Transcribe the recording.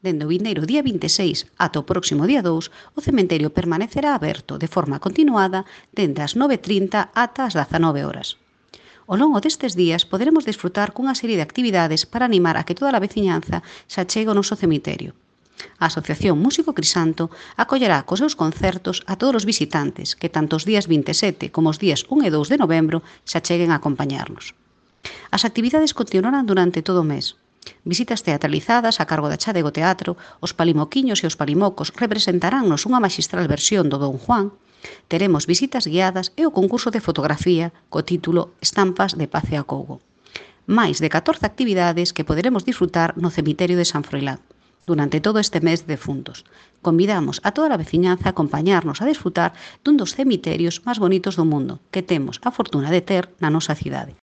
Dende o vindeiro día 26 ata o próximo día 2, o cemiterio permanecerá aberto de forma continuada dende as 9:30 ata as 19 horas. Ao longo destes días poderemos disfrutar cunha serie de actividades para animar a que toda a veciñanza se achegue ao noso cemiterio. A Asociación Músico Crisanto acollerá cos seus concertos a todos os visitantes que tanto os días 27 como os días 1 e 2 de novembro se acheguen a acompañarnos. As actividades continuarán durante todo o mes. Visitas teatralizadas a cargo da Chadego Teatro, os palimoquiños e os palimocos representaránnos unha maxistral versión do Don Juan, teremos visitas guiadas e o concurso de fotografía co título Estampas de Paz e Acougo. Máis de 14 actividades que poderemos disfrutar no cemiterio de San Froilán durante todo este mes de defuntos. Convidamos a toda a veciñanza a acompañarnos a desfrutar dun dos cemiterios máis bonitos do mundo que temos a fortuna de ter na nosa cidade.